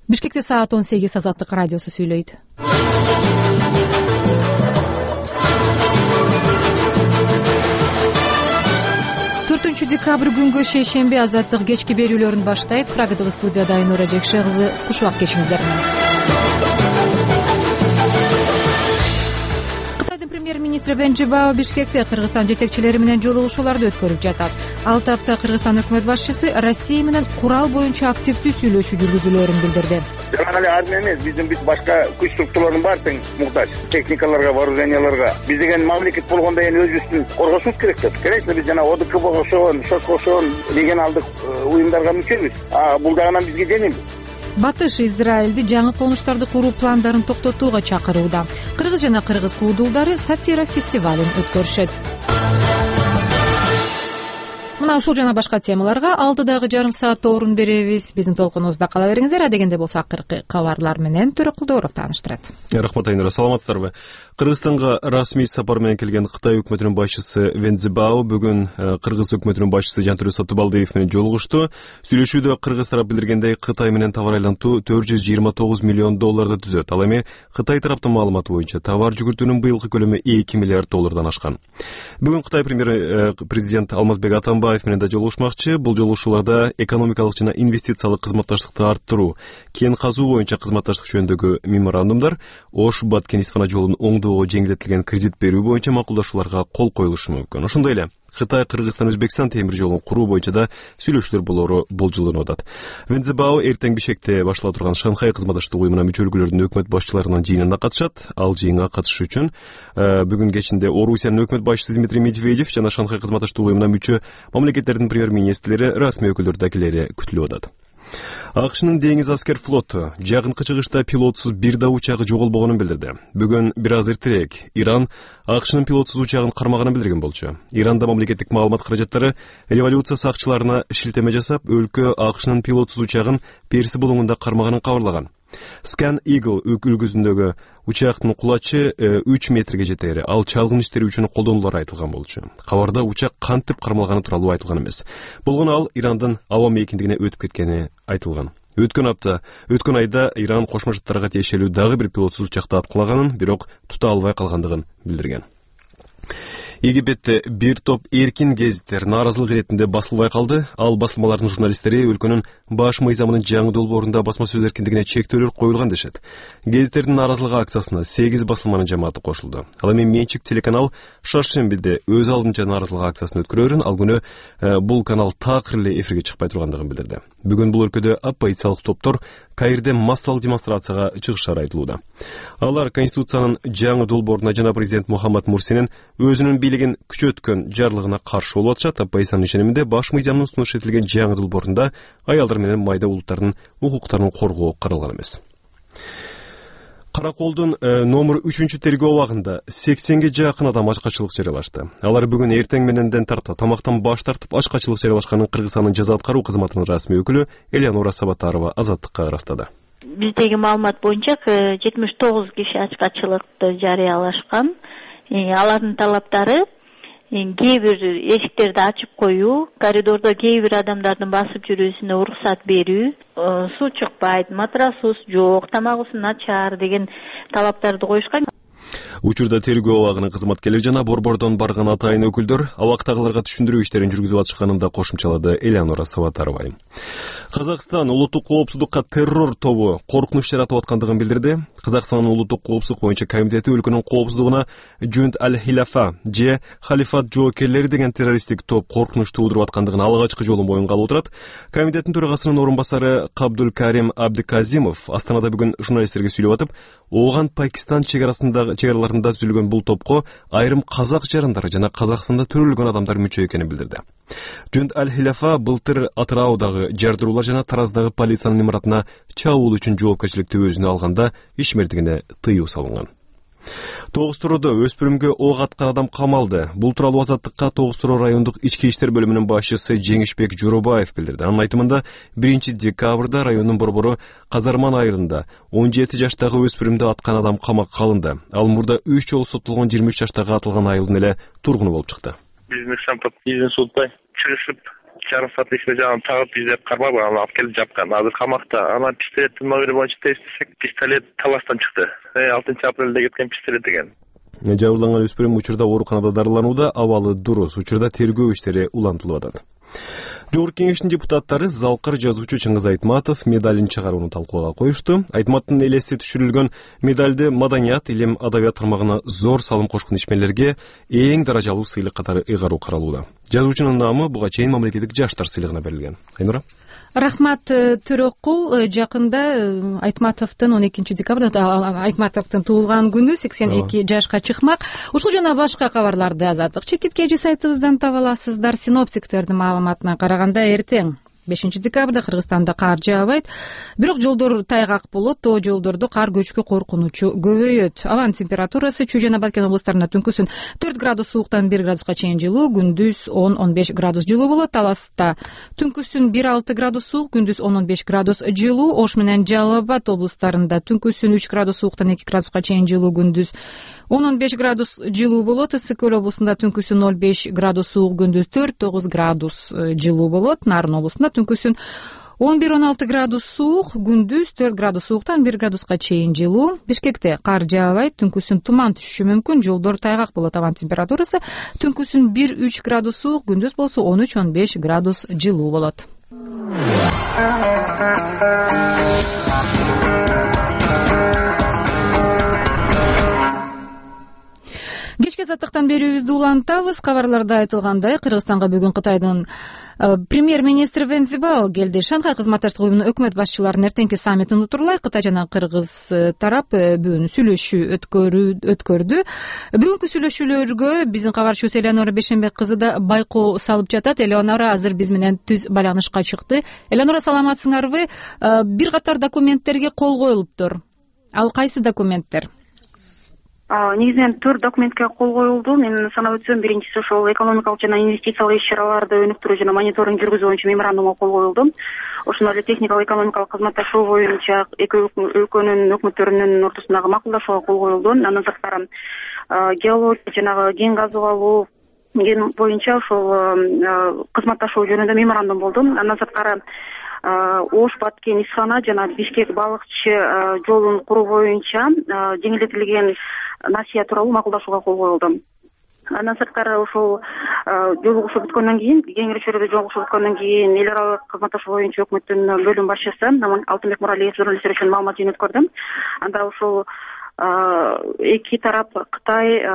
Бишкекте саат 18 Азаттык радиосу сүйлөйт. 4 декабрь күнгө шейшемби Азаттык кечки берүүлөрүн баштайт. Прагадагы студияда Айнура Жекше кызы, куш убак кечиңиздер менен. Премьер-министр Вен Жибао Бишкекте Кыргызстан жетекчилери менен жолугушууларды өткөрүп жатат. Ал тапта Кыргызстан өкмөт башчысы Россия менен курал боюнча активдүү сүйлөшүү жүргүзүлөөрүн билдирди. Жана эле армия эмес, биздин башка күч структуралардын баары тең муктаж. Техникаларга, вооруженияларга. Биз деген мамлекет болгондо эми өзүбүздүн коргошубуз керек да. Конечно, биз жана ОДКБ кошон, ШОК кошон регионалдык уюмдарга мүчөбүз. Бул дагынан бизге жеңил. Батыш Израилди жаңы конуштарды куруу пландарын токтотууга чакырууда. Кыргыз жана кыргыз куудулдары сатира фестивалын өткөрүшөт. Мына ушул жана башка темаларга алдыдагы жарым саатта орун беребиз. Биздин толкунубузда кала бериңиздер. Адегенде болсо акыркы кабарлар менен Төрөкулдооров тааныштырат. Рахмат Айнура, саламатсыздарбы? Кыргызстанга расмий сапар менен келген Кытай өкмөтүнүн башчысы Вен Жибао бүгүн Кыргыз өкмөтүнүн башчысы Жантөрө Сатыбалдиев менен жолугушту. Сүйлөшүүдө кыргыз тарап билдиргендей, Кытай менен товар айлантуу $429 миллион түзөт. Ал эми Кытай тараптын маалыматы боюнча товар жүгүртүүнүн быйылкы көлөмү $2 миллиард ашкан. Бүгүн Кытай президент Алмазбек Атамбаев менен да жолугушмакчы. Бул жолугушууларда экономикалык жана инвестициялык кызматташтыкты арттыруу, кен казуу боюнча кызматташтык жөнүндөгү меморандумдар, Ош-Бат Кенисфана жолунун оңдоого жеңилдетилген кредит берүү боюнча макулдашууларга кол коюлушу мүмкүн. Ошондой эле Кытай, Кыргызстан, Өзбекстан темир жолун куруу боюнча да сүйлөшүүлөр болору болжолдонуп атат. Вен Жибао эртең Бишкекте баштала турган Шанхай кызматташтык уюмуна мүчөлүктөрүнүн өкмөт башчыларынын жыйынына катышат. Ал жыйынга катышуу үчүн бүгүн кечинде Орусиянын өкмөт башчысы Дмитрий Медведев жана Шанхай кызматташтык уюмуна мүчө мамлекеттердин премьер-министрлери, расмий өкүлдөрү да келери күтүлүп атат. АКШнын деңиз аскер флоту жакынкы чыгышта пилотсуз бир да учагы жоголбогонун билдирди. Бүгүн бир аз эртерээк Иран АКШнын пилотсуз учагын кармаганын билдирген болчу. Иранда мамлекеттик маалымат каражаттары революция сакчыларына шилтеме жасап, өлкө АКШнын пилотсуз учагын Перси булуңунда кармаганын кабарлаган. Scan Eagle үлгүсүндөгү учактын кулачы 3 метрге жетери. Ал чалгын иштери үчүн колдонулары айтылган болчу. Кабарда учак кантип кармалганы тууралуу айтылган эмес. Болгону ал Ирандын аба мейкиндигине өтүп кеткени айтылган. Өткөн айда Иран Кошмо Шаттарга тиешелүү дагы бир пилотсуз учакты аткылаганын, бирок тута албай калгандыгын билдирген. Египетте бир топ эркин гезиттер нааразылык иретинде басылбай калды. Ал басылмалардын журналисттери өлкөнүн баш мыйзамынын жаңы долбоорунда басма сөз эркиндигине чектөөлөр коюлган дешет. Гезиттердин нааразылык акциясына 8 басылманын жамааты кошулду. Ал эми менчик телеканал Шаршембиде өз алдынча нааразылык акциясын өткөрөөрүн, ал күнү бул канал такыр эле эфирге чыкпай тургандыгын билдирди. Бүгүн бул өлкөдө оппозициялык топтор Каирде массалык демонстрацияга чыгышары айтылууда. Алар Конституциянын жаңы долбооруна жана президент Мухаммад Мурсинин өзүнүн бийлигин күчөткөн жарлыгына каршы болуп атышат. Оппозициянын ишениминде баш мыйзамдын сунуш этилген жаңы долбоорунда аялдар менен майда улуттардын укуктарын коргоо каралган эмес. Караколдун номер 3 тергөө абагында 80ге жакын адам ачкачылык жарыялашты. Алар бүгүн эртең мененден тарта тамактан баш тартып ачкачылык жарыялашканын Кыргызстандын жаза аткаруу кызматынын расмий өкүлү Элеонора Сабатарова Азаттыкка ырастады. Биздеги маалымат боюнча 79 киши ачкачылыкты жарыялашкан. Алардын талаптары кээ бир эшиктерди ачып коюу, коридордо кээ бир адамдардын басып жүрүүсүнө уруксат берүү, суу чыкпайт, матрасыбыз жок, тамагыбыз начар деген талаптарды коюшкан. Учурда тергөө абагынын кызматкерлери жана борбордон барган атайын өкүлдөр абактагыларга түшүндүрүү иштерин жүргүзүп атышканын да кошумчалады Элеонора Сабатарова. Казакстан улуттук коопсуздукка террор тобу коркунуч жаратып аткандыгын билдирди. Казакстандын улуттук коопсуздук боюнча комитети өлкөнүн коопсуздугуна Жунд аль-Хилафа же Халифат жоокерлери деген террористтик топ коркунуч туудуруп аткандыгын алгачкы жолу моюнга алып отурат. Комитеттин төрагасынын орун басары Кабдул Карим Абдиказимов Астанада бүгүн журналисттерге сүйлөп атып, ооган Пакистан чегараларында түзүлгөн бул топко айрым казак жарандары жана Казакстанда төрөлгөн адамдар мүчө экенин билдирди. Жунд аль-Хилафа былтыр Атыраудагы жардыруулар жана Тараздагы полициянын имаратына чабуул үчүн жоопкерчиликти өзүнө алганда ишмердигине тыюу салынган. Тогуз-Туродо өспүрүмгө ок аткан адам камалды. Бул тууралуу Азаттыкка Тогуз-Туроо райондук ички иштер бөлүмүнүн башчысы Жеңишбек Журубаев билдирди. Анын айтымында 1 декабрда райондун борбору Казарман айылында 17 жаштагы өспүрүмдү аткан адам камакка алынды. Ал мурда 3 жолу соттолгон 23 жаштагы атылган айылдын эле тургуну болуп чыкты. Биздин штампты изин сутпай чыгышып жарым саат ичинде жаңы тагып издеп кармап аны алып келип жапкан. Азыр камакта. Анан пистолеттин номери боюнча тештесек, пистолет таластан чыкты. 6 апрелде кеткен пистолет экен. Жабырланган өспүрүм учурда ооруканада дарыланууда, абалы дурус. Учурда тергөө иштери улантылып атат. Жогорку Кеңештин депутаттары залкыр жазуучу Чыңгыз Айтматов медалин чыгарууну талкууга коюшту. Айтматтын элеси түшүрүлгөн медалды маданият, илим, адабият тармагына зор салым кошкон ишмерлерге эң даражалуу сыйлык катары ыйгаруу каралууда. Жазуучунун наамы буга чейин мамлекеттик жаштар сыйлыгына берилген. Айнура. Рахмат Төрөкул. Жакында Айтматовдун 12 декабрда Айтматовдун туулган күнү 82 жашка чыкмак. Ушул жана башка кабарларды Азаттык чекит кежи сайтыбыздан таба аласыздар. Синоптиктердин маалыматына караганда эртең 5 декабрда Кыргызстанда кар жаабайт, бирок жолдор тайгак болот, тоо жолдордо кар көчкү коркунучу көбөйөт. Абанын температурасы Чүй жана Баткен облустарында түнкүсүн 4 градус сууктан 1 градуска чейин жылуу, күндүз 10-15 градус жылуу болот. Таласта түнкүсүн 1-6 градус суук, күндүз 10-15 градус жылуу. Ош менен Жалал Абад облустарында түнкүсүн 3 градус сууктан 2 градуска чейин жылуу, күндүз 10-15 градус жылуу болот. Ысык Көл облусунда түнкүсүн 0-5 градус суук, күндүз 4-9 градус жылуу болот. Нарын облусунда түнкүсүн 11-16 градус суук, күндүз 4 градус сууктан 1 градуска чейин жылуу. Бишкекте кар жаабайт, түнкүсүн туман түшүшү мүмкүн, жолдор тайгак болот. Абан температурасы түнкүсүн 1-3 градус суук, күндүз болсо 13-15 градус жылуу болот. Кечки азаттыктан берүүбүздү улантабыз. Кабарларда айтылгандай, Кыргызстанга бүгүн Кытайдын премьер-министри Вен Цзибао келди. Шанхай кызматташтык уюмунун өкмөт башчыларынын эртеңки саммитин утурлай Кытай жана Кыргыз тарап бүгүн сүйлөшүү өткөрдү. Бүгүнкү сүйлөшүүлөргө биздин кабарчыбыз Элеонора Бешенбек кызы да байкоо салып жатат. Элеонора азыр биз менен түз байланышка чыкты. Элеонора, саламатсыңарбы? Бир катар документтерге кол коюлуптур. Ал кайсы документтер? Негизинен 4 документке кол коюлду. Мен санап өтсөм, биринчиси ошол экономикалык жана инвестициялык иш-чараларды өнүктүрүү жана мониторинг жүргүзүү боюнча меморандумга кол коюлду. Ошондой эле техникалык экономикалык кызматташуу боюнча эки өлкөнүн өкмөттөрүнүн ортосундагы макулдашууга кол коюлду. Андан сырткары геология жанагы кен газып алуу боюнча ошол кызматташуу жөнүндө меморандум болду. Андан сырткары Ош-Баткен исхана жана Бишкек балыкчы жолун куруу боюнча жеңилдетилген насыя тууралуу макулдашууга кол коюлду. Андан сырткары ошол жолугушуу бүткөндөн кийин, кеңири чөйрөдө жолугушуу бүткөндөн кийин эл аралык кызматташуу боюнча өкмөттүн бөлүм башчысы Алтынбек Муралиев журналисттер үчүн маалымат жөнөткөрдү. Анда ошол эки тарап Кытай,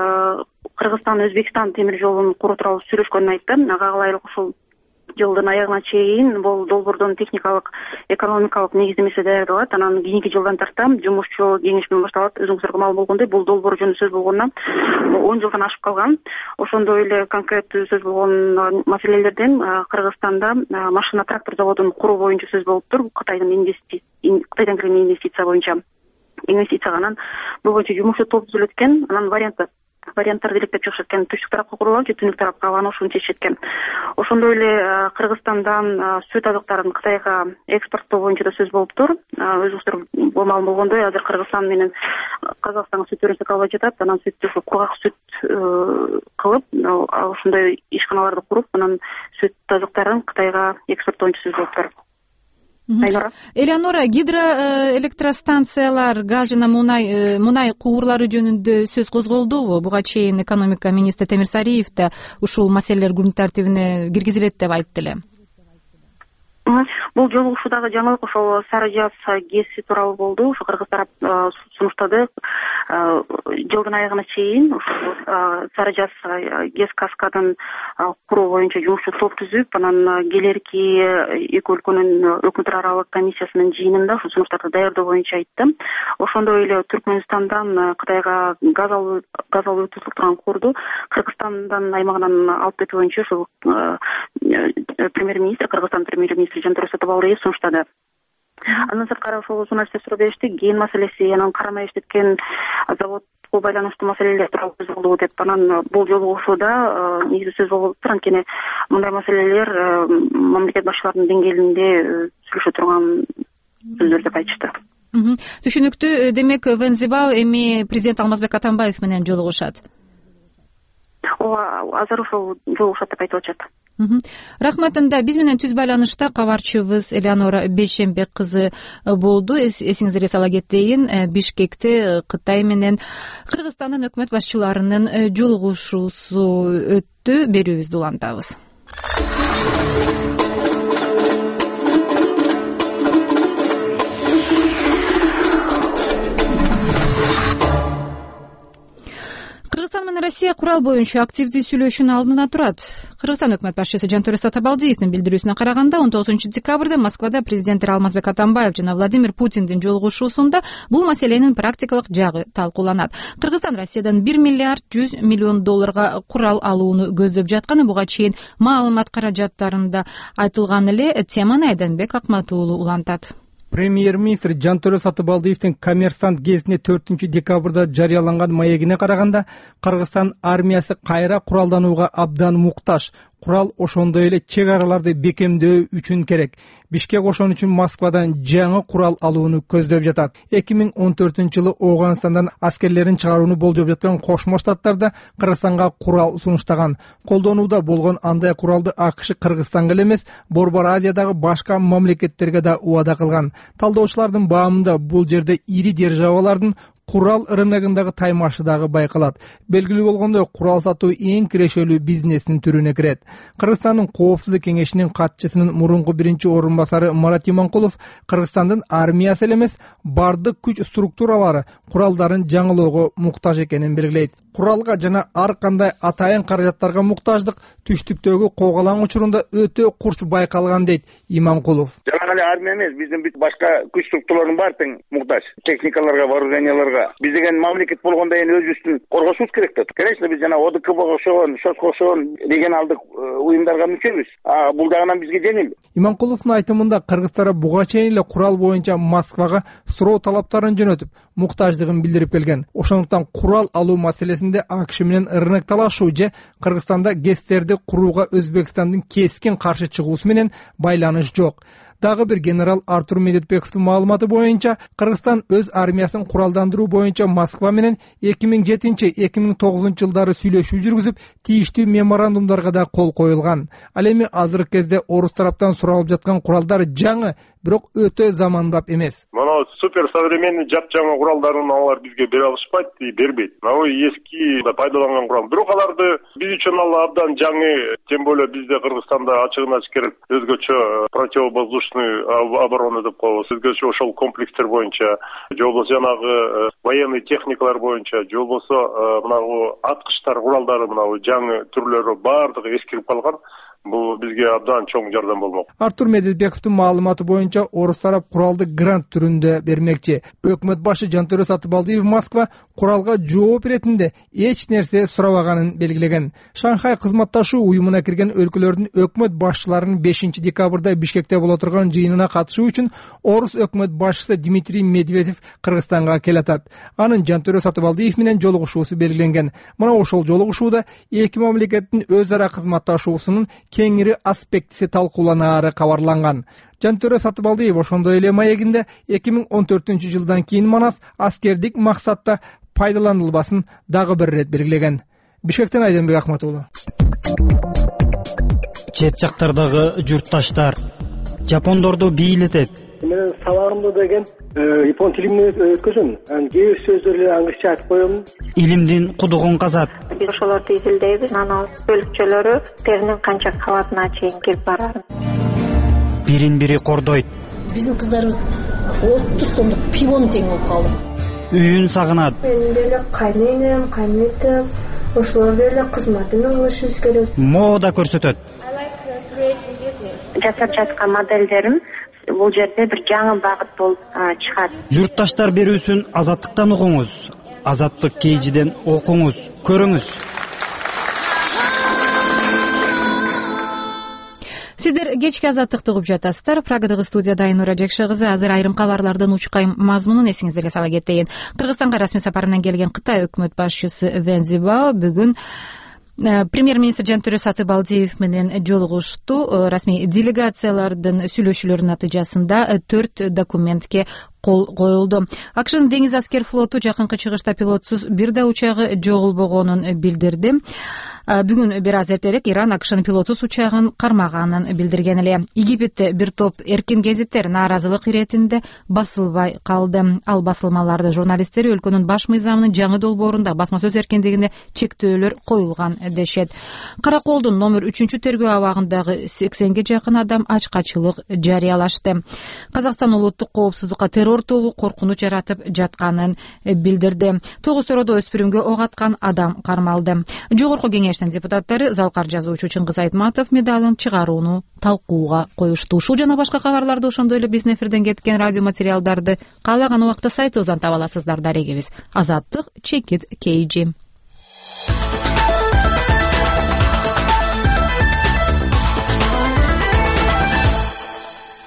Кыргызстан, Өзбекстан темир жолун куруу тууралуу сүйлөшкөнүн айтты. Ага ылайык ошол жылдын аягына чейин бул долбоордун техникалык, экономикалык негиздемеси даярдалат. Анан кийинки жылдан тарта жумушчу кеңеш менен башталат. Өзүңүздарга маалым болгондой, бул долбоор жөнүндө сөз болгонуна 10 жылдан ашып калган. Ошондой эле конкреттүү сөз болгон маселелерден Кыргызстанда машина трактор заводун куруу боюнча сөз болуптур. Кытайдан келген инвестиция боюнча инвестицияга. Анан бул боюнча жумушчу топ түзүлөт экен. Анан варианттарды иликтеп чыгышат экен. Түштүк тарапка курулабы же түндүк тарапка, анан ошону чечишет экен. Ошондой эле Кыргызстандан сүт азыктарын Кытайга экспорттоо боюнча да сөз болуптур. Өзүңүздөр маалым болгондой, азыр Кыргызстан менен Казакстанга сүт өрүнсө албай жатат. Анан сүттү кургак сүт кылып, ошондой ишканаларды куруп, анан сүт азыктарын Кытайга экспорттоо боюнча сөз болуптур. Элеонора, гидроэлектростанциялар, газ жана мунай куурлары жөнүндө сөз козголдубу? Буга чейин экономика министри Темир Сариев да ушул маселелер күн тартибине киргизилет деп айтты эле. Бул жолугушуудагы жаңылык ошол Сары Жаз ГЭСи тууралуу болду. Ошо Кыргыз тарап сунуштады. Жылдын аягына чейин ошол Сары Жаз ГЭС каскадын куруу боюнча жумушчу топ түзүп, анан келерки эки өлкөнүн өкмөттөр аралык комиссиясынын жыйынында ошол сунуштарды даярдоо боюнча айтты. Ошондой эле Түркмөнстандан Кытайга газ алуу өткөрүлгөн курду Кыргызстандын аймагынан алып кетүү боюнча ошол премьер-министр, Кыргызстан премьер-министри Жантүрө Сатыбалдиев сунуштады. Андан сырткары ошол журналисттер беришти. Кен маселеси, анан карама иштеткен заводко байланыштуу маселелер тууралуу сөз болду деп. Анан бул жолугушууда негизи сөз болуп тур. Анткени мындай маселелер мамлекет башчыларынын деңгээлинде сүйлөшө турган сөздөр деп айтышты. Түшүнүктүү. Демек, Вен Цзибао эми президент Алмазбек Атамбаев менен жолугушат. Ооба, азыр ошол жолугушат деп айтып атышат. Рахмат. Анда биз менен түз байланышта кабарчыбыз Элеонора Бейшембек кызы болду. Эсиңиздерге сала кетейин, Бишкекте Кытай менен Кыргызстандын өкмөт башчыларынын жолугушуусу өттү. Берүүбүздү улантабыз. Кыргызстан менен Россия курал боюнча активдүү сүйлөшүүнүн алдында турат. Кыргызстан өкмөт башчысы Жантөре Сатыбалдиевдин билдирүүсүнө караганда, 19-декабрда Москвада президенттер Алмазбек Атамбаев жана Владимир Путиндин жолугушуусунда бул маселенин практикалык жагы талкууланат. Кыргызстан Россиядан $1 миллиард 100 миллион курал алууну көздөп жатканы буга чейин маалымат каражаттарында айтылган эле. Теманы Айданбек Акмат уулу улантат. Премьер-министр Жантөре Сатыбалдиевдин Коммерсант гезитине 4-декабрда жарыяланган маегине караганда, Кыргызстан армиясы кайра куралданууга абдан муктаж. Курал ошондой эле чек араларды бекемдөө үчүн керек. Бишкек ошон үчүн Москвадан жаңы курал алууну көздөп жатат. 2014-жылы Ооганстандан аскерлерин чыгарууну болжоп жаткан Кошмо Штаттарда Кыргызстанга курал сунуштаган. Колдонууда болгон андай куралды АКШ Кыргызстанга эле эмес, Борбор Азиядагы башка мамлекеттерге да убада кылган. Талдоочулардын баамында бул жерде ири державалардын курал рыногундагы таймашы дагы байкалат. Белгилүү болгондой, курал сатуу эң кирешелүү бизнестин түрүнө кирет. Кыргызстандын Коопсуздук кеңешинин катчысынын мурунку биринчи орун басары Марат Иманкулов Кыргызстандын армиясы эле эмес, бардык күч структуралары куралдарын жаңылоого муктаж экенин белгилейт. Куралга жана ар кандай атайын каражаттарга муктаждык түштүктөгү коголаң учурунда өтө курч байкалган дейт Иманкулов. Жана эле армия эмес, биздин башка күч структуралардын баары тең муктаж. Техникаларга, вооруженияларга. Биз деген мамлекет болгондо эми өзүбүздүн коргошубуз керек да. Конечно, биз жана ОДКБга окшогон, ШОСко окшогон регионалдык уюмдарга мүчөбүз. Бул жагынан бизге жеңил. Иманкуловдун айтымында Кыргызстан буга чейин эле курал боюнча Москвага суроо талаптарын жөнөтүп, муктаждыгын билдирип келген. Ошондуктан курал алуу маселесинде АКШ менен рынок талашуу же Кыргызстанда ГЭСтерди курууга Өзбекстандын кескин каршы чыгуусу менен байланыш жок. Дагы бир генерал Артур Медетбековдун маалыматы боюнча, Кыргызстан өз армиясын куралдандыруу боюнча Москва менен 2007-2009 жылдары сүйлөшүү жүргүзүп, тийиштүү меморандумдарга да кол коюлган. Ал эми азыркы кезде орус тараптан суралып жаткан куралдар жаңы, бирок өтө замандап эмес. Мына супер современный жапжаңы куралдарын алар бизге бере алышпайт, бербейт. Мына эски пайдаланган курал. Бирок аларды биз үчүн ал абдан жаңы, тем более бизде Кыргызстанда ачыгын ачык өзгөчө противовоздушный оборона деп коебуз. Өзгөчө ошол комплекстер боюнча, же болбосо жанагы военный техникалар боюнча, же болбосо мына аткычтар куралдары мына жаңы түрлөрү баардыгы эскирип калган. Бул бизге абдан чоң жардам болмок. Артур Медетбековдун маалыматы боюнча орус тарап куралды грант түрүндө бермекчи. Өкмөт башы Жантөре Сатыбалдиев Москва куралга жооп иретинде эч нерсе сурабаганын белгилеген. Шанхай кызматташуу уюмуна кирген өлкөлөрдүн өкмөт башчыларынын 5-декабрда Бишкекте боло турган жыйынына катышуу үчүн орус өкмөт башчысы Дмитрий Медведев Кыргызстанга келатат. Анын Жантөре Сатыбалдиев менен жолугушуусу белгиленген. Мына ошол жолугушууда эки мамлекеттин өз ара кызматташуусунун кеңири аспектиси талкууланаары кабарланган. Жантөре Сатыбалдиев ошондой эле маегинде 2014-жылдан кийин Манас аскердик максатта пайдаланылбасын дагы бир ирет белгилеген. Бишкектен Айданбек Акмат уулу. Чет жактардагы журтташтар жапондорду бийлетет. Мен сабагымда деген япон тилинде өткөзөм. Кээ бир сөздөрдү англисче айтып коем. Илимдин кудугун казат. Биз ошолорду изилдейбиз. Анан бөлүкчөлөрү теринин канча кабатына чейин келип барат. Бирин-бири кордойт. Биздин кыздарыбыз 30 сомдук пивон тең болуп калды. Үйүн сагынат. Мен деле кайненем, кайнетем, ошолор деле кызматын кылышыбыз керек. Мода көрсөтөт. Жасап жаткан моделдерим бул жерде бир жаңы багыт болуп чыгат. Журтташтар берүүсүн Азаттыктан угуңуз. Азаттык KG'ден окуңуз, көрүңүз. Сиздер кечки Азаттыкты угуп жатасыздар. Прагадагы студияда Айнура Жекше кызы. Азыр айрым кабарлардын учкай мазмунун эсиңиздерге сала кетейин. Кыргызстанга расмий сапарынан келген Кытай өкмөт башчысы Вэн Цзибао бүгүн премьер-министр Жантөре Сатыбалдиев менен жолугушту. Расмий делегациялардын сүйлөшүүлөрүнүн натыйжасында 4 документке кол коюлду. АКШнын деңиз аскер флоту жакынкы чыгышта пилотсуз бир да учагы жоголбогонун билдирди. Бүгүн бир аз эртерээк Иран АКШнын пилотсуз учагын кармаганын билдирген эле. Египетте бир топ эркин гезиттер нааразылык иретинде басылбай калды. Ал басылмаларды журналисттери өлкөнүн баш мыйзамынын жаңы долбоорунда басма сөз эркиндигине чектөөлөр коюлган дешет. Караколдун номер 3-тергөө абагындагы 80ге жакын адам ачкачылык жарыялашты. Казакстан улуттук коопсуздукка террор тобу коркунуч жаратып жатканын билдирди. 9 төрөдө өспүрүмгө ок аткан адам кармалды. Жогорку кеңештин депутаттары Залкар жазуучу Чыңгыз Айтматов медалын чыгарууну талкууга коюшту. Ушул жана башка кабарларды ошондой эле биздин эфирден кеткен радио материалдарды каалаган убакта сайтыбыздан таба аласыздар. Дарегибиз Азаттык чекит KG.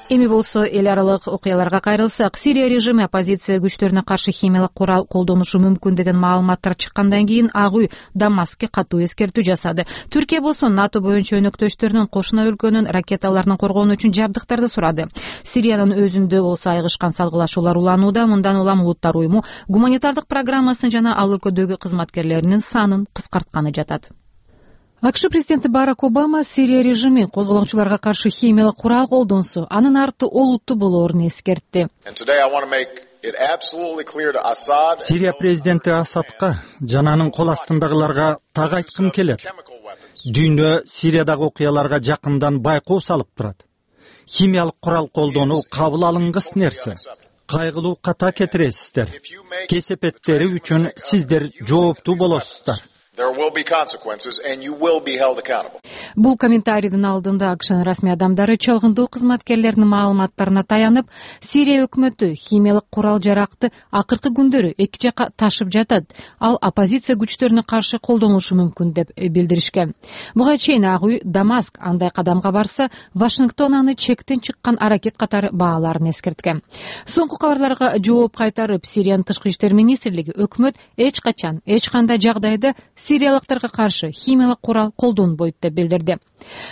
Эми болсо эл аралык окуяларга кайрылсак, Сирия режими оппозиция күчтөрүнө каршы химиялык курал колдонушу мүмкүн деген маалыматтар чыккандан кийин Ак үй Дамаскке катуу эскертүү жасады. Түркия болсо НАТО боюнча өнөктөштөрүнүн кошуна өлкөнүн ракеталарынан коргонуу үчүн жабдыктарды сурады. Сириянын өзүндө болсо айгышкан салгылашуулар уланууда. Мындан улам Улуттар уюму гуманитардык программасын жана ал өлкөдөгү кызматкерлеринин санын кыскартканы жатат. АКШ президенти Барак Обама Сирия режими козголоңчуларга каршы химиялык курал колдонсо, анын арты олуттуу болоорун эскертти. Сирия президенти Асадка жана анын кол астындагыларга так айткым келет. Дүйнө Сириядагы окуяларга жакындан байкоо салып турат. Химиялык курал колдонуу кабыл алынгыс нерсе. Кайгылуу ката кетиресиздер. Кесепеттери үчүн сиздер жооптуу болосуздар. Бул комментарийдин алдында АКШнын расмий адамдары чалгындоо кызматкерлеринин маалыматтарына таянып, Сирия өкмөтү химиялык курал жаракты акыркы күндөрү эки жакка ташып жатат. Ал оппозиция күчтөрүнө каршы колдонулушу мүмкүн деп билдиришкен. Буга чейин Ак үй Дамаск андай кадамга барса, Вашингтон аны чектен чыккан аракет катары бааларын эскерткен. Соңку кабарларга жооп кайтарып, Сириянын тышкы иштер министрлиги өкмөт эч качан, эч кандай жагдайда сириялыктарга каршы химиялык курал колдонбойт деп билдирди.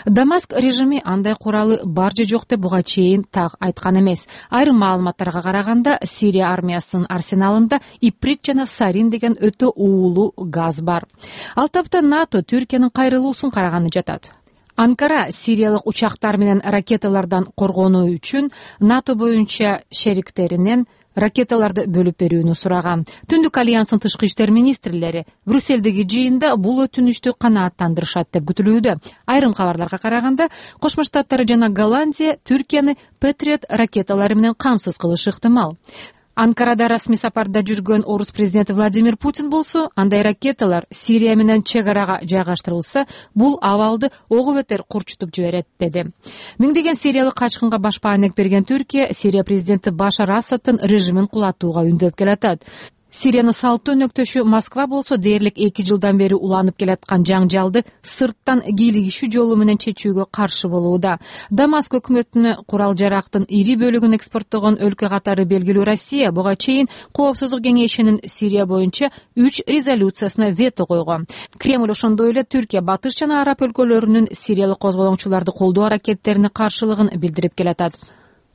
Дамаск режими андай куралы бар же жок деп буга чейин так айткан эмес. Айрым маалыматтарга караганда, Сирия армиясынын арсеналында иприт жана сарин деген өтө уулуу газ бар. Ал тапта НАТО Түркиянын кайрылуусун караганы жатат. Анкара сириялык учактар менен ракеталардан коргонуу үчүн НАТО боюнча шериктеринен ракеталарды бөлүп берүүнү сураган. Түндүк альянстын тышкы иштер министрлери Брюссельдеги жыйында бул өтүнүштү канааттандырышат деп күтүлүүдө. Айрым кабарларга караганда, Кошмо Штаттар жана Голландия Түркияны Патриот ракеталары менен камсыз кылышы ыктымал. Анкарада расмий сапарда жүргөн орус президенти Владимир Путин болсо, андай ракеталар Сирия менен чек арага жайгаштырылса, бул абалды огу бетер курчутуп жиберет деди. Миңдеген сириялык качкынга баш баанек берген Түркия Сирия президенти Башар Асадтын режимин кулатууга үндөп келатат. Сириянын салттуу өнөктөшү Москва болсо, дээрлик 2 жылдан бери уланып келаткан жаңжалды сырттан кийлигишүү жолу менен чечүүгө каршы болууда. Дамаск өкмөтүнө курал жарактын ири бөлүгүн экспорттогон өлкө катары белгилүү Россия буга чейин Коопсуздук кеңешинин Сирия боюнча 3 резолюциясына вето койгон. Кремль ошондой эле Түркия, Батыш жана Араб өлкөлөрүнүн сириялык козголоңчуларды колдоо аракеттерине каршылыгын билдирип келатат.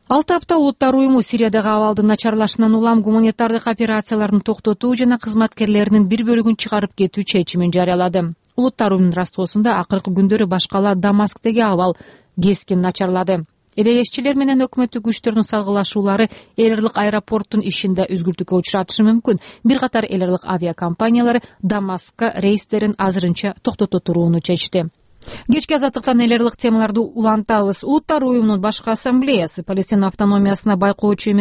Ал тапта Улуттар уюму Сириядагы абалдын начарлашынан улам гуманитардык операцияларын токтотуу жана кызматкерлеринин бир бөлүгүн чыгарып кетүү чечимин жарыялады. Улуттар уюмунун растоосунда акыркы күндөрү башкала Дамасктеги абал кескин начарлады. Элелешчилер менен өкмөттүк күчтөрдүн салгылашуулары эл аралык аэропорттун ишинде үзгүлтүккө учуратышы мүмкүн. Бир катар эл аралык авиакомпаниялары Дамаскка рейстерин азырынча токтото турууну чечти. Кечки азаттыктан эл аралык темаларды улантабыз. Улуттар уюмунун башкы ассамблеясы Палестин автономиясына байкоочу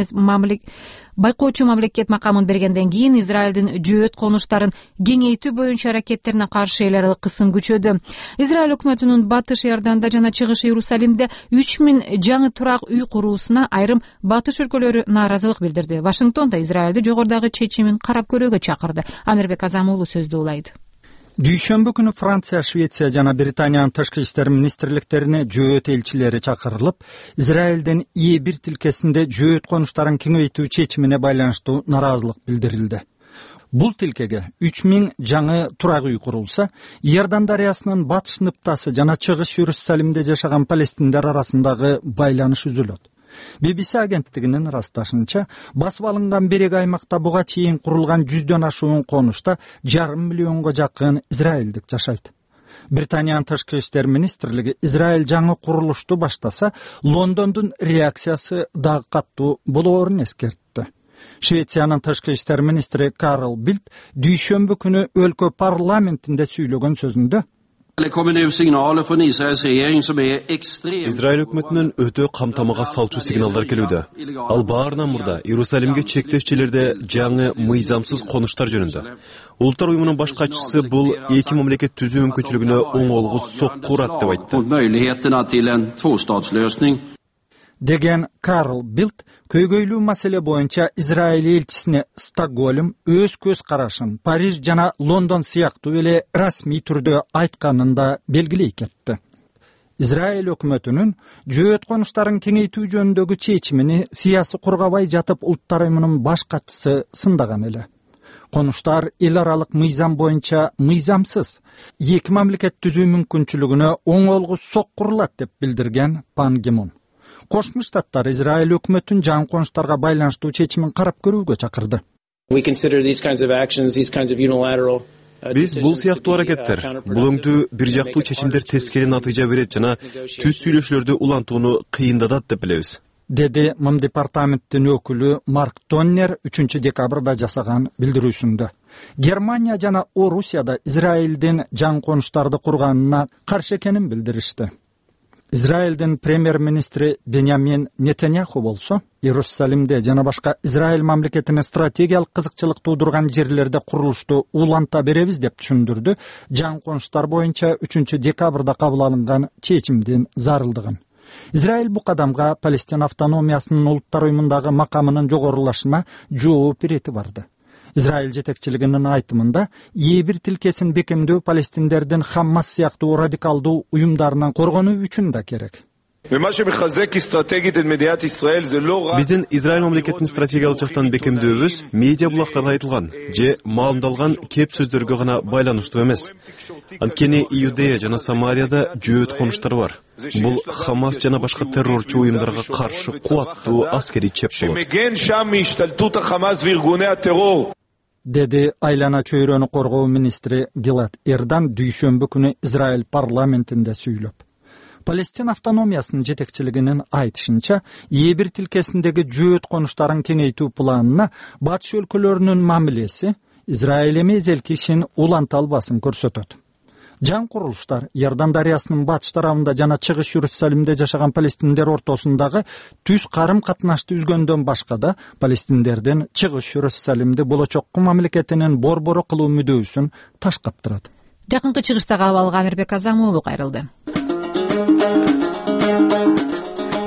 мамлекет макамын бергенден кийин Израилдин жөөт конуштарын кеңейтүү боюнча аракеттерине каршы эл аралык кысым күчөдү. Израиль өкмөтүнүн Батыш Иорданда жана Чыгыш Иерусалимде 3000 жаңы турак үй куруусуна айрым батыш өлкөлөрү нааразылык билдирди. Вашингтонда Израилди жогорудагы чечимин карап көрүүгө чакырды. Амирбек Азам уулу сөздү улайды. Дүйшөмбү күнү Франция, Швеция жана Британиянын тышкы иштер министрликтерине жөөт элчилери чакырылып, Израилдин бир тилкесинде жөөт конуштарын кеңейтүү чечимине байланыштуу нараазылык билдирилди. Бул тилкеге 3000 жаңы турак үй курулса, Иордан дарыясынын батыш ныптасы жана Чыгыш Иерусалимде жашаган палестиндер арасындагы байланыш үзүлөт. BBC агенттигинин ырасташынча, басып алынган берек аймакта буга чейин курулган 100дөн ашуун конушта 5,5 миллионго жакын израилдик жашайт. Британиянын тышкы иштер министрлиги Израиль жаңы курулушту баштаса, Лондондун реакциясы дагы каттуу болоорун эскертти. Швециянын тышкы иштер министри Карл Билт дүйшөмбү күнү өлкө парламентинде сүйлөгөн сөзүндө Израиль өкмөтүнүн өтө камтамага салчу сигналдар келүүдө. Ал баарынан мурда Иерусалимге чектешчилерде жаңы мыйзамсыз конуштар жөнүндө. Улуттар уюмунун баш катчысы бул эки мамлекет түзүү мүмкүнчүлүгүнө оңолгус сокку урат деп айтты. Деген Карл Билт көйгөйлүү маселе боюнча Израиль элчисине Стокгольм өз көз карашын Париж жана Лондон сыяктуу эле расмий түрдө айтканын да белгилей кетти. Израиль өкмөтүнүн жөөт конуштарын кеңейтүү жөнүндөгү чечимини сыясы кургабай жатып Улуттар уюмунун баш катчысы сындаган эле. Конуштар эл аралык мыйзам боюнча мыйзамсыз, эки мамлекет түзүү мүмкүнчүлүгүнө оңолгус соккурулат деп билдирген Пан Ги Мун. Кошмо Штаттар Израиль өкмөтүнүн жаңы конуштарга байланыштуу чечимин карап көрүүгө чакырды. Биз бул сыяктуу аракеттер, бул өңдүү бир жактуу чечимдер тескери натыйжа берет жана түз сүйлөшүүлөрдү улантууну кыйындатат деп билебиз. Деди МИМ департаменттин өкүлү Марк Тоннер 3 декабрда жасаган билдирүүсүндө. Германия жана Орусияда Израилдин жаңы конуштарды курганына каршы экенин билдиришти. Израилдин премьер-министри Беньямин Нетаньяху болсо, Иерусалимде жана башка Израиль мамлекетине стратегиялык кызыкчылык туудурган жерлерде курулушту уланта беребиз деп түшүндүрдү жаңы конуштар боюнча 3 декабрда кабыл алынган чечимдин зарылдыгын. Израиль бу кадамга Палестина автономиясынын Улуттар уюмундагы макамынын жогорулашына жооп берети барды. Израиль жетекчилигинин айтымында, Е1 тилкесин бекемдөө палестиндердин Хаммас сыяктуу радикалдуу уюмдарынан коргонуу үчүн да керек. Биздин Израиль мамлекетин стратегиялык жактан бекемдөөбүз медиа булактарда айтылган же маалымдалган кеп сөздөргө гана байланыштуу эмес. Анткени Иудея жана Самарияда жөөт конуштар бар. Бул Хамас жана башка террорчу уюмдарга каршы кубаттуу аскерий чеп болот. Деди айлана чөйрөнү коргоо министри Гилад Эрдан дүйшөмбү күнү Израиль парламентинде сүйлөп. Палестина автономиясынын жетекчилигинин айтышынча, Е1 тилкесиндеги жөөт конуштарын кеңейтүү планына батыш өлкөлөрүнүн мамилеси Израиль эмезелки ишин уланта албасын көрсөтөт. Жаңы курулуштар Иордан дарыясынын батыш тарабында жана чыгыш Иерусалимде жашаган палестиндер ортосундагы түз карым катнашты үзгөндөн башка да палестиндердин чыгыш Иерусалимди болочокку мамлекетинин борбору кылуу мүдөөсүн ташкаптырат. Жакынкы чыгыштагы абалга Амирбек Азамуулу кайрылды.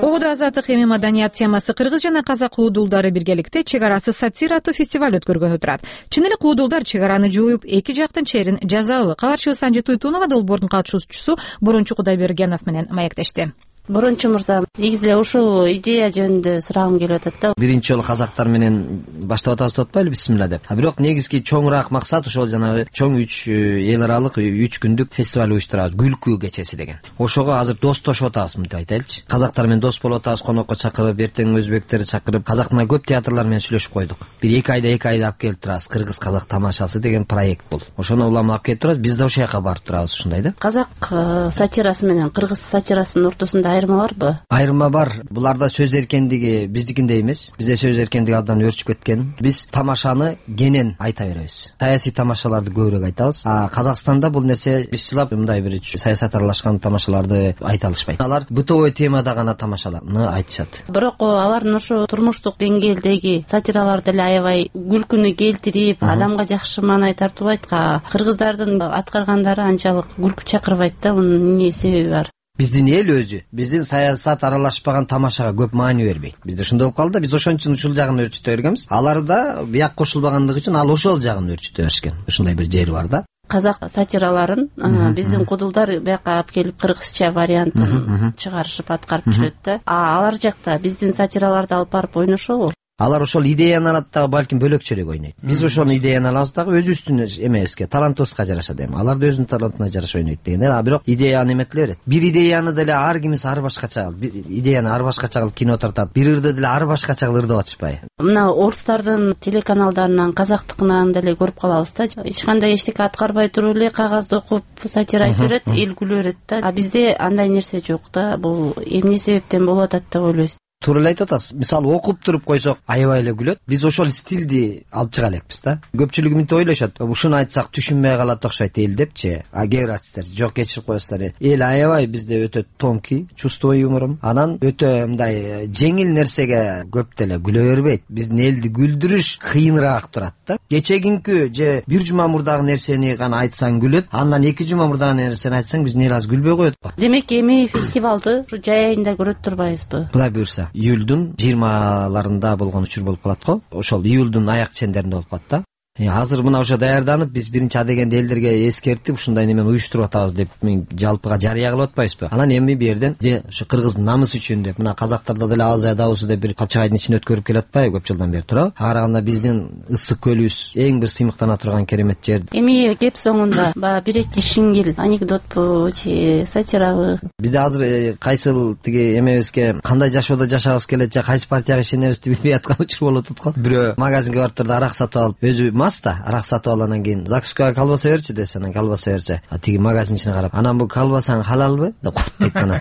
Оодо азаттык эми маданият темасы кыргыз жана казак уудулдары биргеликте чек арасы сатира аттуу фестиваль өткөргөнү турат. Чын эле уудулдар чек араны жооюп, эки жактын черин жазабы? Кабарчыбыз Санжи Туйтунова долбоордун катышуучусу Борончу Кудайбергенов менен маектешти. Борончу мырза, негизи эле ушул идея жөнүндө сурагым келип атат да. Биринчи жолу казактар менен баштап атабыз деп атпайлы, бисмилла деп. Бирок негизги чоңураак максат ошол жанагы чоң 3 эл аралык 3 күндүк фестиваль уюштурабыз, күлкү кечеси деген. Ошого азыр достошуп атабыз мынтип айтайлычы. Казактар менен дос болуп атабыз, конокко чакырып, эртең өзбектерди чакырып, казактын көп театрлар менен сүйлөшүп койдук. Бир 2 айда алып келип турабыз. Кыргыз казак тамашасы деген проект бул. Ошону улам алып келип турабыз. Биз да ошол жака барып турабыз, ушундай да. Казак сатирасы менен кыргыз сатирасынын ортосунда айырма барбы? Айырма бар. Буларда сөз эркиндиги биздикиндей эмес. Бизде сөз эркиндиги абдан өрчүп кеткен. Биз тамашаны кенен айта беребиз. Саясий тамашаларды көбүрөөк айтабыз. Казакстанда бул нерсе бизчилап мындай бир саясат аралашкан тамашаларды айта алышпайт. Алар бытовой темада гана тамашаларны айтышат. Бирок алардын ошо турмуштук деңгээлдеги сатираларды эле аябай күлкүнү келтирип, адамга жакшы маанай тартуулайт. Кыргыздардын аткаргандары анчалык күлкү чакырбайт да. Мунун эмне себеби бар? Биздин эл өзү биздин саясат аралашпаган тамашага көп маани бербейт. Бизде ошондой болуп калды. Биз ошон үчүн ушул жагын өрчүтө бергенбиз. Алар да бияк кошулбагандыгы үчүн ал ошол жагын өрчүтө беришкен. Ушундай бир жери бар да. Казак сатираларын биздин кудулдар бияка алып келип кыргызча вариантын чыгарышып аткарып жүрөт да. Алар жакта биздин сатираларды алып барып ойношобу? Алар ошол идеяны алат дагы балким бөлөкчөрөөк ойнойт. Биз ошол идеяны алабыз дагы өзүбүздүн эмебизге, талантыбызга жараша дейм. Алар да өзүнүн талантына жараша ойнойт деген. А бирок идея неметиле берет. Бир идеяны деле ар кимиси ар башкача, идеяны ар башкача кылып кино тартат. Бир ырды деле ар башкача кылып ырдап атышпайбы? Мына орустардын телеканалдарынан, казактыкынан деле көрүп калабыз да. Эч кандай эчтеке аткарбай туруп эле кагазды окуп сатира айтып берет, эл күлө берет да. А бизде андай нерсе жок да. Бул эмне себептен болуп атат деп ойлойсуз? Туура эле айтып атасыз. Мисалы окуп туруп койсок аябай эле күлөт. Биз ошол стилди алып чыга элекпиз да. Көпчүлүгү мынтип ойлошот. Ушуну айтсак түшүнбөй калат окшойт эл депчи. А кээ бир артисттер жок кечирип коесуздар. Эл аябай бизде өтө тонкий, чувствовой юморум. Анан өтө мындай жеңил нерсеге көп деле күлө бербейт. Биздин элди күлдүрүш кыйыныраак турат да. Кечегинки же бир жума мурдагы нерсени гана айтсаң күлөт, андан 2 жума мурдагы нерсени айтсаң биздин эл азыр күлбөй коет. Демек эми фестивалды ушу жай айында көрөт турбайбызбы? Кудай буйрса. Июлдун 20-ларында болгон учур болуп калат го. Ошол июлдун аяк чендеринде болуп калат да. Азыр мына ошо даярданып, биз биринчи адегенде элдерге эскертип, ушундай немени уюштуруп атабыз деп жалпыга жарыя кылып атпайбызбы? Анан эми бу жерден ошо кыргыздын намысы үчүн деп, мына казактарда деле Азия Давусу деп бир капчагайдын ичине өткөрүп келип атпайбы көп жылдан бери туурабы? Ага караганда биздин ысык көлүбүз эң бир сыймыктана турган керемет жер. Эми кеп соңунда баягы бир-эки шиңгил анекдотпу же сатирабы? Бизде азыр кайсыл тиги эмебизге кандай жашоодо жашагыбыз келет же кайсы партияга ишенерибизди билбей аткан учур болуп атат го. Бирөө магазинге барып турду арак сатып алып, өзү да арак сатып алгандан кийин закускага колбаса берчи десе, анан колбаса берсе, тиги магазинчине карап, анан бул колбасаң халалбы деп коет дейт. Анан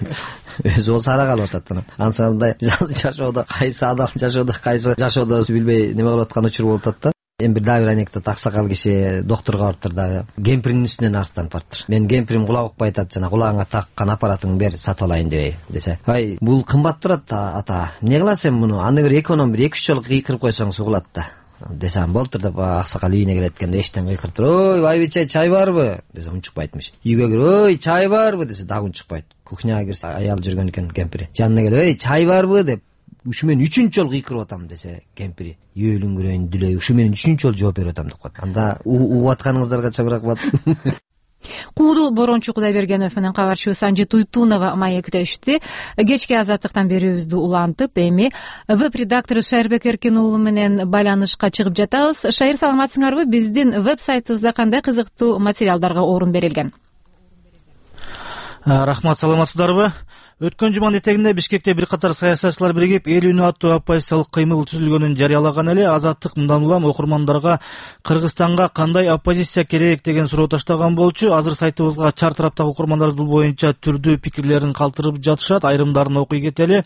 өзү болсо арак алып атат. Анан ансандай жашоодо кайсы адал жашоодо кайсы жашоодо билбей неме кылып аткан учур болуп атат да. Эми дагы бир анекдот, аксакал киши доктурга барыптыр дагы, кемпиринин үстүнөн арстанып барыптыр. Мен кемпирим кулак укпай атат, жана кулагыңа таккан аппаратыңды бер, сатып алайын дебей десе, ай бул кымбат турат ата, эмне кыласың муну, аны бир эконом бир 2-3 жолу кыйкырып койсоң сугулат да десем болтур деп аксакал үйүнө келет эткенде эчтен кыйкырып туруп, ой байбиче чай барбы десе унчукпайтмыш. Үйгө кирип, ой чай барбы десе дагы унчукпайт. Кухняга кирсе аял жүргөн экен кемпири. Жанына келип, ой чай барбы деп ушу мен 3-үнчү жолу кыйкырып атам десе кемпири, үйөлүңгүрөйүн дүлөй, ушу мен 3-үнчү жолу жооп берип атам деп коет. Анда угуп атканыңыздарга чоң рахмат. Куудул Борончу Кудайбергенов менен кабарчыбыз Санжи Туйтунова маектешти. Кечки азаттыктан берүүбүздү улантып, эми веб-редактору Шайырбек Эркин уулу менен байланышка чыгып жатабыз. Шайыр, саламатсыңарбы? Биздин веб-сайтыбызда кандай кызыктуу материалдарга орун берилген? Рахмат, саламатсыздарбы? Өткөн жуманын этегинде Бишкекте бир катар саясатчылар биригип эл үнү аттуу оппозициялык кыймыл түзүлгөнүн жарыялаган эле. Азаттык мындан улам окурмандарга Кыргызстанга кандай оппозиция керек деген суроо таштаган болчу. Азыр сайтыбызга чар тараптагы окурмандар бул боюнча түрдүү пикирлерин калтырып жатышат. Айрымдарын окуй кетели.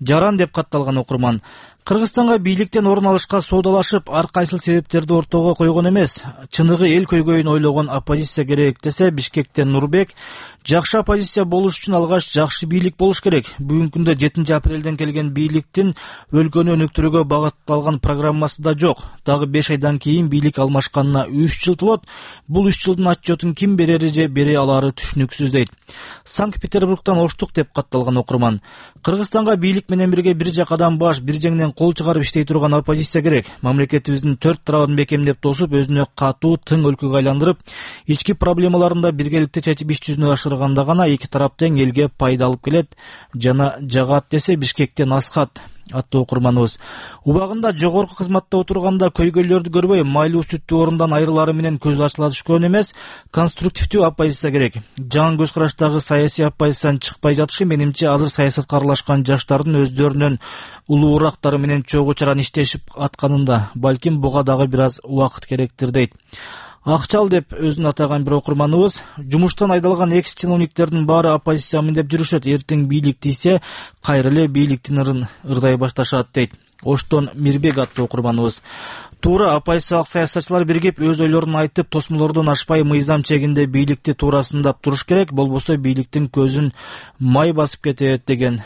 Жаран деп катталган окурман: Кыргызстанга бийликтен орун алышка соодалашып, ар кайсыл себептерди ортого койгон эмес, чыныгы эл көйгөйүн ойлогон оппозиция керек десе, Бишкектен Нурбек: жакшы оппозиция болуш үчүн алгач жакшы бийлик болуш керек. Бүгүнкү күндө 7-апрелден келген бийликтин өлкөнү өнүктүрүүгө багытталган программасы да жок. Дагы 5 айдан кийин бийлик алмашканына 3 жыл толот. Бул 3 жылдын отчетун ким берери же бере алары түшүнүксүз дейт. Санкт-Петербургтан Оштук деп катталган окурман: Кыргызстанга бийлик менен бирге бир жакадан баш, бир жеңден кол чыгарып иштей турган оппозиция керек. Мамлекетибиздин 4 тарабын бекемдеп тосуп, өзүнө катуу тың өлкөгө айландырып, ички проблемаларын да биргеликте чечип иш жүзүнө ашырганда гана эки тарап тең элге пайда алып келет жана жагат десе Бишкектен Асхат аттуу окурманыбыз. Убагында жогорку кызматта отурганда көйгөйлөрдү көрбөй, майлуу сүттүү орундан айрылары менен көз ачыла түшкөн эмес, конструктивдүү оппозиция керек. Жаңы көз караштагы саясий оппозициянын чыкпай жатышы, менимче, азыр саясатка аралашкан жаштардын өздөрүнүн улуурактары менен чогуу чаран иштешип атканында. Балким буга дагы бир аз убакыт керектир дейт. Акчал деп өзүн атаган бир окурманыбыз: жумуштан айдалган экс-чиновниктердин баары оппозициямын деп жүрүшөт. Эртең бийлик тийсе, кайра эле бийликтин ырын ырдай башташат дейт. Оштон Мирбек аттуу окурманыбыз: туура, оппозициялык саясатчылар биригип өз ойлорун айтып, тосмолордон ашпай мыйзам чегинде бийликти туурасындап туруш керек, болбосо бийликтин көзүн май басып кетет деген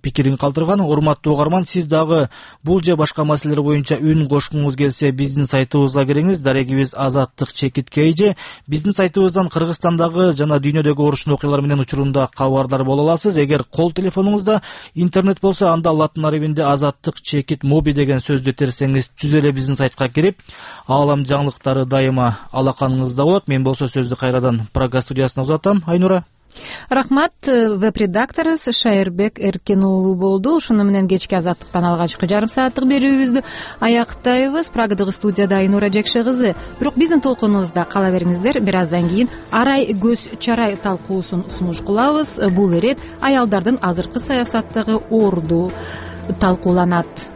пикирин калтырган. Урматтуу угарман, сиз дагы бул же башка маселелер боюнча үн кошкуңуз келсе, биздин сайтыбызга кириңиз. Дарегибиз азаттык /KG. Биздин сайтыбыздан Кыргызстандагы жана дүйнөдөгү орушун окуялар менен учурунда кабардар боло аласыз. Эгер кол телефонуңузда интернет болсо, анда латын арабинде азаттык /mobi деген сөздү терсеңиз, түз эле биздин сайтка кирип, аалам жаңылыктары дайыма алаканыңызда болот. Мен болсо сөздү кайрадан Прага студиясына узатам. Айнура. Рахмат. Веб-редакторубуз Шайырбек Эркен уулу болду. Ушуну менен кечки Азаттыктан алгачкы жарым сааттык берүүбүздү аяктайбыз. Прагадагы студияда Айнура Жекше кызы. Бирок биздин толкунубузда кала бериңиздер. Бир аздан кийин арай көз чарай талкуусун сунуш кылабыз. Бул ирет аялдардын азыркы саясаттагы орду талкууланат.